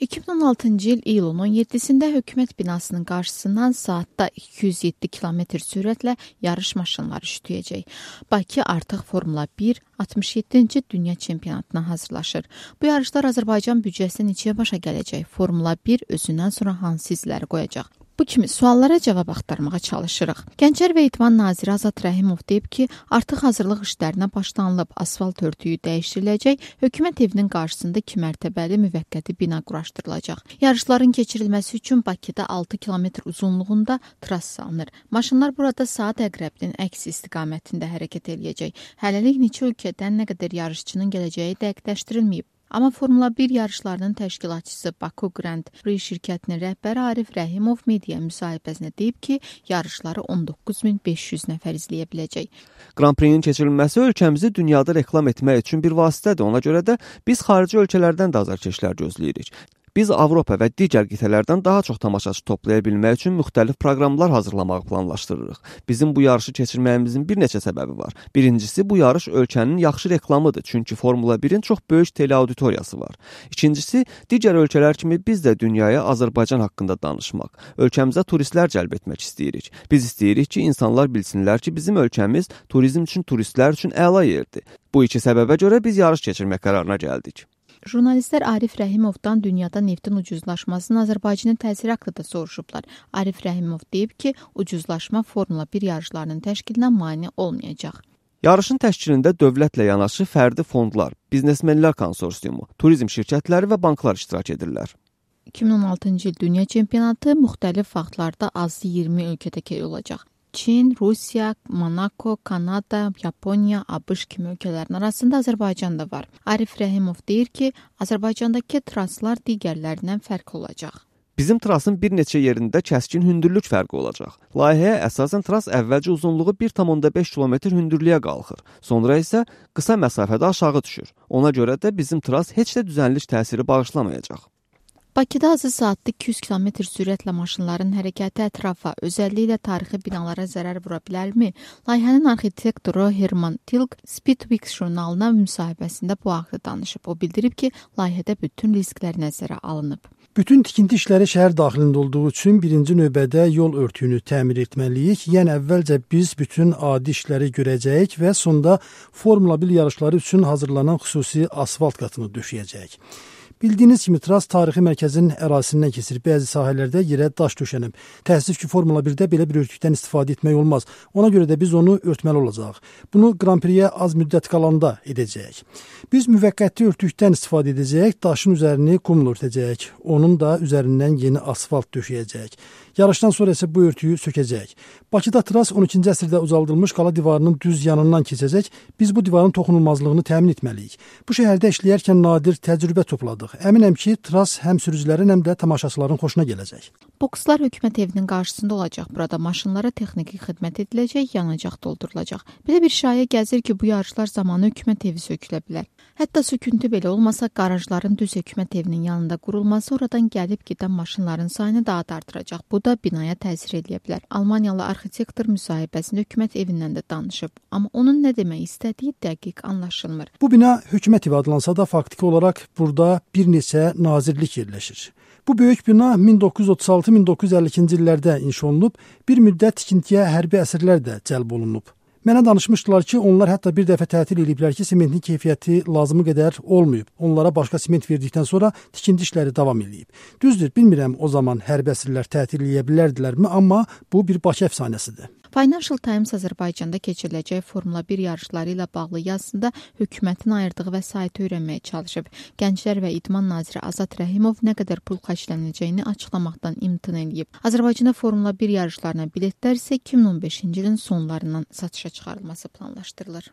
2016-cı il iyulun 17-sində hökumət binasının qarşısından saatda 207 km sürətlə yarış maşınları şütüyəcək. Bakı artıq Formula 1 67-ci dünya çempionatına hazırlaşır. Bu yarışlar Azərbaycan büdcəsi neçəyə başa gələcək? Formula 1 özündən sonra hansı izləri qoyacaq? Bu kimi suallara cavab axtarmağa çalışırıq. Gənclər və İdman naziri Azad Rəhimov deyib ki, artıq hazırlıq işlərinə başlanılıb, asfalt örtüyü dəyişdiriləcək, hökumət evinin qarşısında 2 mərtəbəli müvəqqəti bina quraşdırılacaq. Yarışların keçirilməsi üçün Bakıda 6 kilometr uzunluğunda tras salınır. Maşınlar burada saat əqrəbinin əks istiqamətində hərəkət eləyəcək. Hələlik neçə ölkədən nə qədər yarışçının gələcəyi dəqiqləşdirilməyib. Amma Formula 1 yarışlarının təşkilatçısı Baku Grand Prix şirkətinin rəhbəri Arif Rəhimov media müsahibəsində deyib ki, yarışları 19.500 nəfər izləyə biləcək. Grand Prix-in keçirilməsi ölkəmizi dünyada reklam etmək üçün bir vasitədir. Ona görə də biz xarici ölkələrdən də azarkeşlər gözləyirik. Biz Avropa və digər qitələrdən daha çox tamaşaçı toplaya bilmək üçün müxtəlif proqramlar hazırlamağı planlaşdırırıq. Bizim bu yarışı keçirməyimizin bir neçə səbəbi var. Birincisi, bu yarış ölkənin yaxşı reklamıdır, çünki Formula 1-in çox böyük teleauditoriyası var. İkincisi, digər ölkələr kimi biz də dünyaya Azərbaycan haqqında danışmaq, ölkəmizə turistlər cəlb etmək istəyirik. Biz istəyirik ki, insanlar bilsinlər ki, bizim ölkəmiz turizm üçün, turistlər üçün əla yerdir. Bu iki səbəbə görə biz yarış keçirmək qərarına gəldik. Jurnalistlər Arif Rəhimovdan dünyada neftin ucuzlaşmasının Azərbaycanın təsiri haqqında soruşublar. Arif Rəhimov deyib ki, ucuzlaşma Formula 1 yarışlarının təşkilinə mane olmayacaq. Yarışın təşkilində dövlətlə yanaşı fərdi fondlar, biznesmenlər konsorsiumu, turizm şirkətləri və banklar iştirak edirlər. 2016-cı il dünya çempionatı müxtəlif vaxtlarda azı 20 ölkədə olacaq. Çin, Rusiya, Monako, Kanada, Yaponiya, ABŞ kimi ölkələrin arasında Azərbaycan da var. Arif Rəhimov deyir ki, Azərbaycandakı traslar digərlərindən fərqli olacaq. Bizim trasın bir neçə yerində kəskin hündürlük fərqi olacaq. Layihəyə əsasən tras əvvəlcə uzunluğu 1,5 km hündürlüyə qalxır. Sonra isə qısa məsafədə aşağı düşür. Ona görə də bizim tras heç də düzənlik təsiri bağışlamayacaq. Bakıda azı saatda 200 km sürətlə maşınların hərəkəti ətrafa, özəlliklə tarixi binalara zərər vura bilərmi? Layihənin arxitektoru Herman Tilk Speedweeks jurnalına müsahibəsində bu haqda danışıb. O bildirib ki, layihədə bütün risklər nəzərə alınıb. Bütün tikinti işləri şəhər daxilində olduğu üçün birinci növbədə yol örtüyünü təmir etməliyik. Yəni əvvəlcə biz bütün adi işləri görəcəyik və sonda Formula 1 yarışları üçün hazırlanan xüsusi asfalt qatını döşəyəcəyik. Bildiyiniz kimi tras tarixi mərkəzin ərazisindən keçir. Bəzi sahələrdə yerə daş döşənib. Təəssüf ki, Formula 1-də belə bir örtükdən istifadə etmək olmaz. Ona görə də biz onu örtməli olacaq. Bunu Grand Prix-yə az müddət qalanda edəcəyik. Biz müvəqqəti örtükdən istifadə edəcəyik, daşın üzərini qumla örtəcəyik. Onun da üzərindən yeni asfalt döşəyəcəyik. Yarışdan sonra isə bu örtüyü sökəcəyik. Bakıda tras 12-ci əsrdə uzaldılmış qala divarının düz yanından keçəcək. Biz bu divarın toxunulmazlığını təmin etməliyik. Bu şəhərdə işləyərkən nadir təcrübə topladıq. Əminəm ki, tras həm sürücülərin, həm də tamaşaçıların xoşuna gələcək. Bokslar hökumət evinin qarşısında olacaq. Burada maşınlara texniki xidmət ediləcək, yanacaq doldurulacaq. Belə bir şayə gəzir ki, bu yarışlar zamanı hökumət evi sökülə bilər. Hətta söküntü belə olmasa, qarajların düz hökumət evinin yanında qurulması oradan gəlib gedən maşınların sayını daha da artıracaq. Bu da binaya təsir edə bilər. Almaniyalı arxitektor müsahibəsində hökumət evindən də danışıb. Amma onun nə demək istədiyi dəqiq anlaşılmır. Bu bina hökumət evi adlansa da faktiki olaraq burada bir neçə nazirlik yerləşir. Bu böyük bina 1936-1952-ci illərdə inşa olunub, bir müddət tikintiyə hərbi əsirlər də cəlb olunub. Mənə danışmışdılar ki, onlar hətta bir dəfə tətil ediblər ki, sementin keyfiyyəti lazımı qədər olmayıb. Onlara başqa sement verdikdən sonra tikinti işləri davam edib. Düzdür, bilmirəm o zaman hərbi əsirlər tətil edə bilərdilərmi, amma bu bir Bakı əfsanəsidir. Financial Times Azərbaycanda keçiriləcək Formula 1 yarışları ilə bağlı yazısında hökumətin ayırdığı vəsaiti öyrənməyə çalışıb. Gənclər və İdman naziri Azad Rəhimov nə qədər pul xərclənəcəyini açıqlamaqdan imtina edib. Azərbaycanda Formula 1 yarışlarına biletlər isə 2015-ci ilin sonlarından satışa çıxarılması planlaşdırılır.